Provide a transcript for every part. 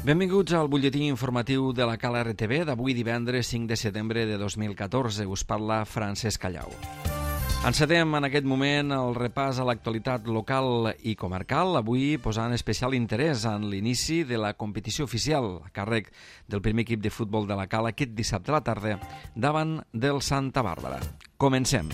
Benvinguts al butlletí informatiu de la Cala RTV d'avui divendres 5 de setembre de 2014. Us parla Francesc Callau. Encetem en aquest moment el repàs a l'actualitat local i comarcal, avui posant especial interès en l'inici de la competició oficial a càrrec del primer equip de futbol de la Cala aquest dissabte a la tarda davant del Santa Bàrbara. Comencem.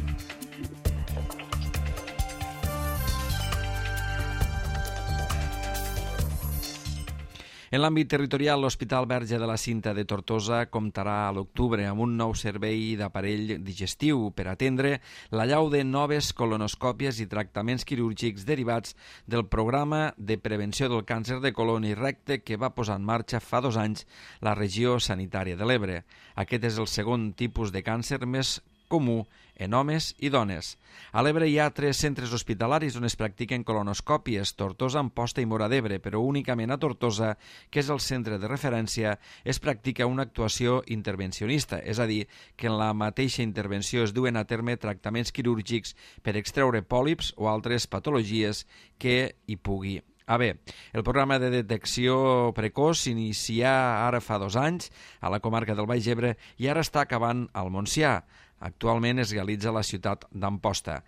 En l'àmbit territorial, l'Hospital Verge de la Cinta de Tortosa comptarà a l'octubre amb un nou servei d'aparell digestiu per atendre l'allau de noves colonoscòpies i tractaments quirúrgics derivats del programa de prevenció del càncer de colon i recte que va posar en marxa fa 2 anys la regió sanitària de l'Ebre. Aquest és el segon tipus de càncer més comú en homes i dones. A l'Ebre hi ha 3 centres hospitalaris on es practiquen colonoscòpies, Tortosa, Amposta i Móra d'Ebre, però únicament a Tortosa, que és el centre de referència, es practica una actuació intervencionista, és a dir, que en la mateixa intervenció es duen a terme tractaments quirúrgics per extreure pòlips o altres patologies que hi pugui haver. El programa de detecció precoç s'inicia ara fa 2 anys a la comarca del Baix Ebre i ara està acabant al Montsià. Actualment es realitza a la ciutat d'Amposta.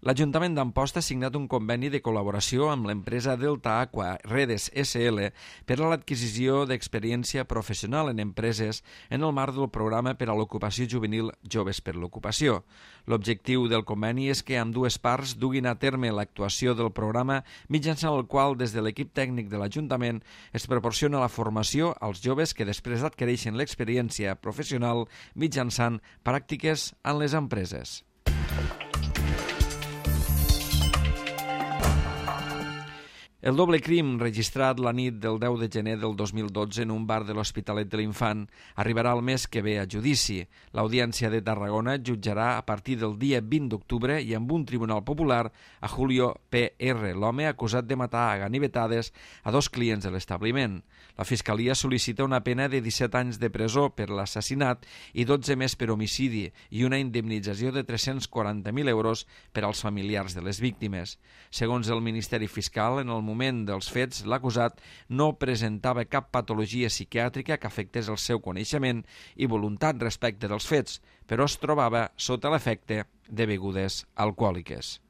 L'Ajuntament d'Amposta ha signat un conveni de col·laboració amb l'empresa Delta Aqua Redes SL per a l'adquisició d'experiència professional en empreses en el marc del programa per a l'ocupació juvenil Joves per l'Ocupació. L'objectiu del conveni és que ambdues parts duguin a terme l'actuació del programa mitjançant el qual des de l'equip tècnic de l'Ajuntament es proporciona la formació als joves que després adquireixen l'experiència professional mitjançant pràctiques en les empreses. El doble crim registrat la nit del 10 de gener del 2012 en un bar de l'Hospitalet de l'Infant arribarà el mes que ve a judici. L'Audiència de Tarragona jutjarà a partir del dia 20 d'octubre i amb un tribunal popular a Julio P.R., l'home acusat de matar a ganivetades a 2 clients de l'establiment. La Fiscalia sol·licita una pena de 17 anys de presó per l'assassinat i 12 més per homicidi i una indemnització de 340.000 euros per als familiars de les víctimes. Segons el Ministeri Fiscal, en el moment dels fets, l'acusat no presentava cap patologia psiquiàtrica que afectés el seu coneixement i voluntat respecte dels fets, però es trobava sota l'efecte de begudes alcohòliques.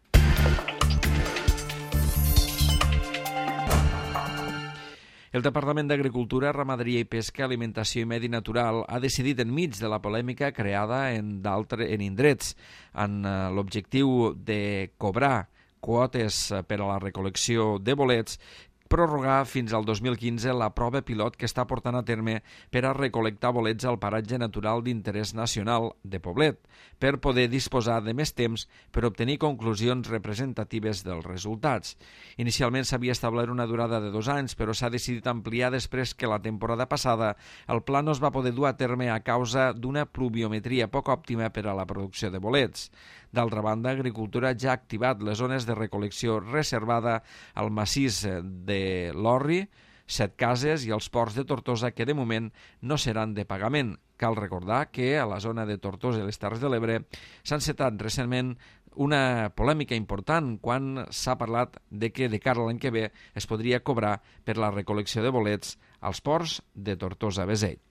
El Departament d'Agricultura, Ramaderia i Pesca, Alimentació i Medi Natural ha decidit enmig de la polèmica creada en indrets en l'objectiu de cobrar quotes per a la recol·lecció de bolets, prorrogar fins al 2015 la prova pilot que està portant a terme per a recol·lectar bolets al paratge natural d'interès nacional de Poblet, per poder disposar de més temps per obtenir conclusions representatives dels resultats. Inicialment s'havia establert una durada de 2 anys, però s'ha decidit ampliar després que la temporada passada el pla no es va poder dur a terme a causa d'una pluviometria poc òptima per a la producció de bolets. D'altra banda, Agricultura ja ha activat les zones de recol·lecció reservada al massís de l'Orri, 7 cases i els ports de Tortosa que de moment no seran de pagament. Cal recordar que a la zona de Tortosa i les Terres de l'Ebre s'ha encetat recentment una polèmica important quan s'ha parlat de que de cara a l'any que ve es podria cobrar per la recol·lecció de bolets als ports de Tortosa-Beseit.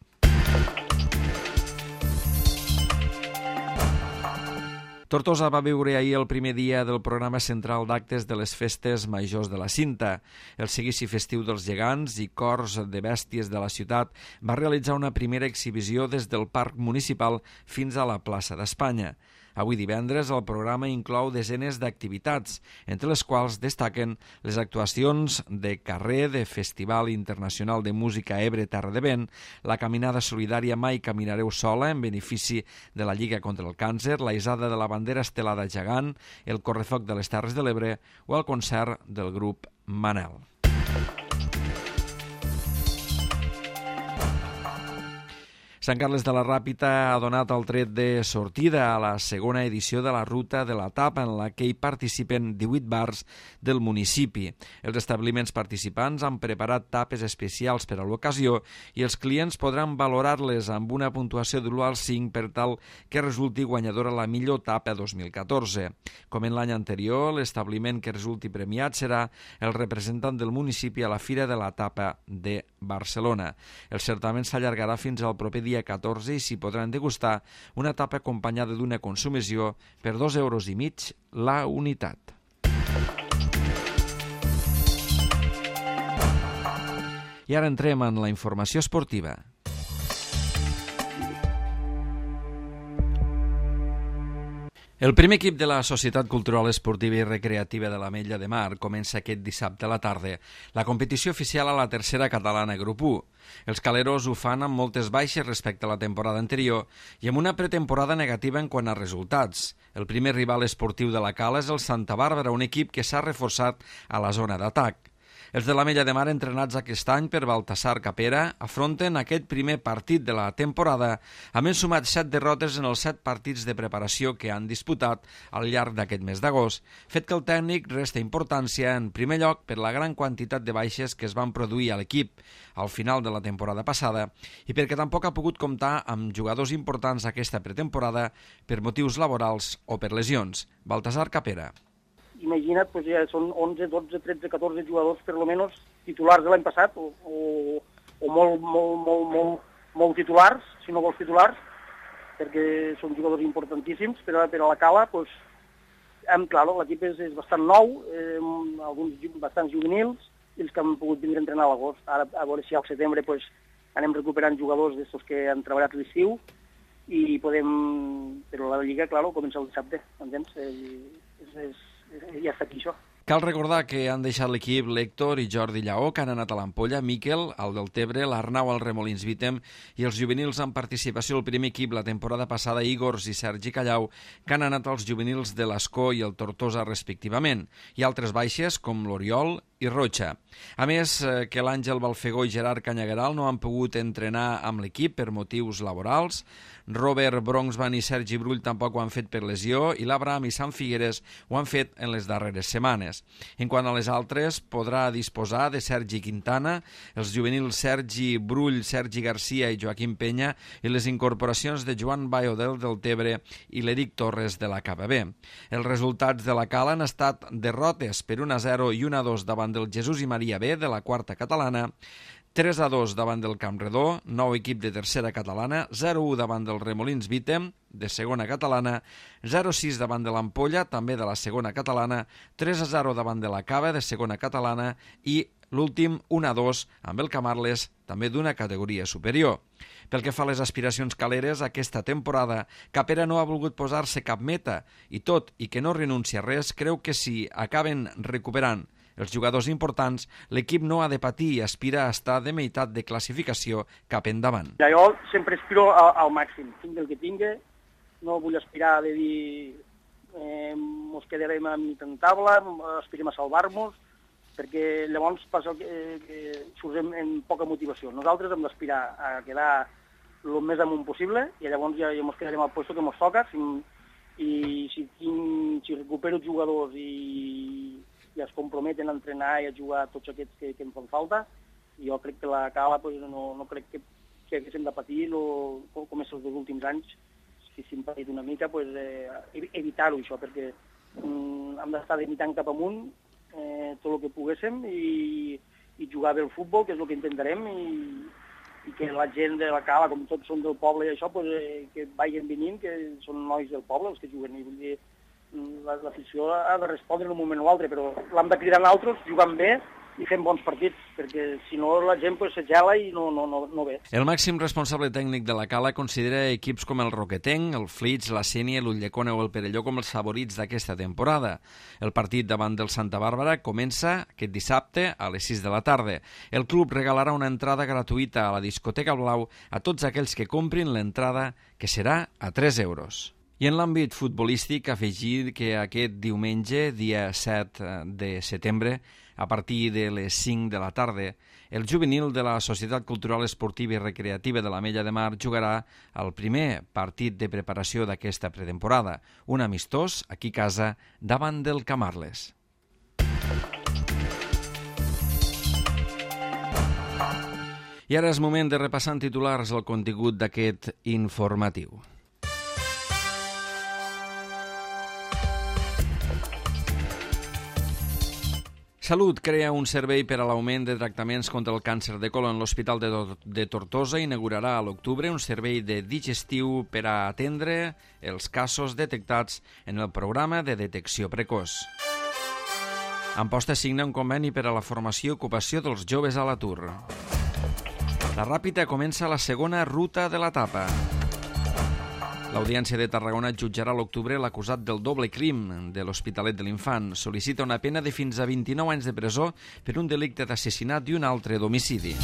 Tortosa va viure ahir el primer dia del programa central d'actes de les festes majors de la Cinta. El seguici festiu dels gegants i cors de bèsties de la ciutat va realitzar una primera exhibició des del Parc Municipal fins a la plaça d'Espanya. Avui divendres el programa inclou desenes d'activitats, entre les quals destaquen les actuacions de carrer de Festival Internacional de Música Ebre Terra de Vent, la caminada solidària Mai Caminareu Sola en benefici de la Lliga contra el Càncer, la hissada de la bandera estelada gegant, el correfoc de les Terres de l'Ebre o el concert del grup Manel. Sant Carles de la Ràpita ha donat el tret de sortida a la segona edició de la ruta de la tapa, en la que hi participen 18 bars del municipi. Els establiments participants han preparat tapes especials per a l'ocasió i els clients podran valorar-les amb una puntuació de l'1 al 5 per tal que resulti guanyadora la millor tapa 2014. Com en l'any anterior, l'establiment que resulti premiat serà el representant del municipi a la Fira de la Tapa de Barcelona. El certamen s'allargarà fins al proper dia 14 i s'hi podran degustar una tapa acompanyada d'una consumició per 2,5 euros la unitat. I ara entrem en la informació esportiva. El primer equip de la Societat Cultural Esportiva i Recreativa de l'Ametlla de Mar comença aquest dissabte a la tarda la competició oficial a la tercera catalana Grup 1. Els caleros ho fan amb moltes baixes respecte a la temporada anterior i amb una pretemporada negativa en quant a resultats. El primer rival esportiu de la Cala és el Santa Bàrbara, un equip que s'ha reforçat a la zona d'atac. Els de l'Ametlla de Mar, entrenats aquest any per Baltasar Capera, afronten aquest primer partit de la temporada, havent sumat 7 derrotes en els 7 partits de preparació que han disputat al llarg d'aquest mes d'agost, fet que el tècnic resta importància en primer lloc per la gran quantitat de baixes que es van produir a l'equip al final de la temporada passada i perquè tampoc ha pogut comptar amb jugadors importants aquesta pretemporada per motius laborals o per lesions. Baltasar Capera. Imagina't, pues ja són 11, 12, 13, 14 jugadors per lo menos titulars de l'any passat o molt titulars, si no vols titulars, perquè són jugadors importantíssims, però a la Cala, pues, claro, l'equip és bastant nou, alguns bastants juvenils, i els que han pogut vindre a entrenar a l'agost. Ara, a veure si al setembre pues, anem recuperant jugadors d'estos que han treballat l'estiu i podem... Però la Lliga, claro, comença el dissabte, entens? Ja està aquí, això. Cal recordar que han deixat l'equip l'Héctor i Jordi Lleó, que han anat a l'Ampolla, Miquel, al Deltebre, l'Arnau al Remolins Vítem i els juvenils en participació al primer equip la temporada passada, Igors i Sergi Callau, que han anat als juvenils de l'Escó i el Tortosa respectivament, i altres baixes com l'Oriol i Rocha. A més, que l'Àngel Balfegó i Gerard Canyagueral no han pogut entrenar amb l'equip per motius laborals, Robert Bronxman i Sergi Brull tampoc ho han fet per lesió i l'Abraham i Sant Figueres ho han fet en les darreres setmanes. En quant a les altres, podrà disposar de Sergi Quintana, els juvenils Sergi Brull, Sergi Garcia i Joaquim Penya i les incorporacions de Joan Bayo del Deltebre i l'Eric Torres de la KBB. Els resultats de la Cala han estat derrotes per 1-0 i 1-2 davant del Jesús i Maria B de la quarta catalana, 3-2 davant del Campredó, nou equip de tercera catalana, 0-1 davant del Remolins Vítem, de segona catalana, 0-6 davant de l'Ampolla, també de la segona catalana, 3-0 davant de la Cava, de segona catalana, i l'últim 1-2 amb el Camarles, també d'una categoria superior. Pel que fa a les aspiracions caleres, aquesta temporada Capera no ha volgut posar-se cap meta i tot i que no renuncia a res, creu que si acaben recuperant els jugadors importants, l'equip no ha de patir i aspira a estar de meitat de classificació cap endavant. Jo sempre aspiro al màxim, tingui el que tingui, no vull aspirar de dir mos quedarem a mitja taula, aspirem a salvar-nos, perquè llavors passa que surtem en poca motivació. Nosaltres hem d'aspirar a quedar el més amunt possible i llavors ja mos quedarem al lloc que mos toca i si recupero jugadors i es comprometen a entrenar i a jugar tots aquests que em fan falta, jo crec que la Cala pues, no crec que haguéssim de patir com és els dos últims anys, si s'hem patit una mica, pues, evitar-ho això, perquè hem d'estar limitant cap amunt tot el que poguéssim i jugar bé el futbol, que és el que intentarem, i que la gent de la Cala, com tots són del poble i això, pues, que vagin venint, que són nois del poble els que juguen, i vull dir, l'afició ha de respondre en un moment o altre, però l'hem de cridar nosaltres, jugant bé i fent bons partits, perquè si no la gent pues, se gela i no ve. El màxim responsable tècnic de la Cala considera equips com el Roquetenc, el Flix, la Sénia, l'Ulldecona o el Perelló com els favorits d'aquesta temporada. El partit davant del Santa Bàrbara comença aquest dissabte a les 6 de la tarda. El club regalarà una entrada gratuïta a la discoteca Blau a tots aquells que comprin l'entrada, que serà a 3 euros. I en l'àmbit futbolístic, afegir que aquest diumenge, dia 7 de setembre, a partir de les 5 de la tarda, el juvenil de la Societat Cultural Esportiva i Recreativa de l'Ametlla de Mar jugarà el primer partit de preparació d'aquesta pretemporada, un amistós aquí a casa davant del Camarles. I ara és moment de repassar en titulars el contingut d'aquest informatiu. Salut crea un servei per a l'augment de tractaments contra el càncer de colon. L'Hospital de Tortosa inaugurarà a l'octubre un servei de digestiu per a atendre els casos detectats en el programa de detecció precoç. Amposta signa un conveni per a la formació i ocupació dels joves a l'atur. La Ràpita comença la segona ruta de l'etapa. L'Audiència de Tarragona jutjarà a l'octubre l'acusat del doble crim de l'Hospitalet de l'Infant. Sol·licita una pena de fins a 29 anys de presó per un delicte d'assassinat i un altre d'homicidi.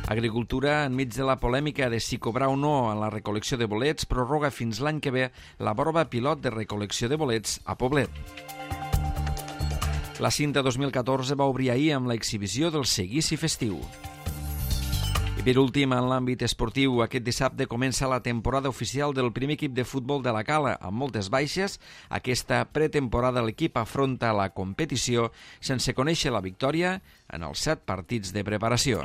Agricultura, enmig de la polèmica de si cobrar o no en la recol·lecció de bolets, prorroga fins l'any que ve la prova pilot de recol·lecció de bolets a Poblet. La Cinta 2014 va obrir ahir amb l'exhibició del seguici festiu. I per últim, en l'àmbit esportiu, aquest dissabte comença la temporada oficial del primer equip de futbol de la Cala. Amb moltes baixes, aquesta pretemporada l'equip afronta la competició sense conèixer la victòria en els 7 partits de preparació.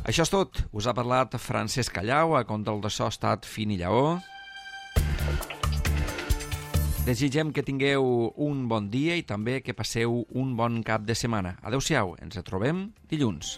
Això és tot. Us ha parlat Francesc Callau, a control de so ha estat Fini Lleó. Desitgem que tingueu un bon dia i també que passeu un bon cap de setmana. Adéu-siau, ens trobem dilluns.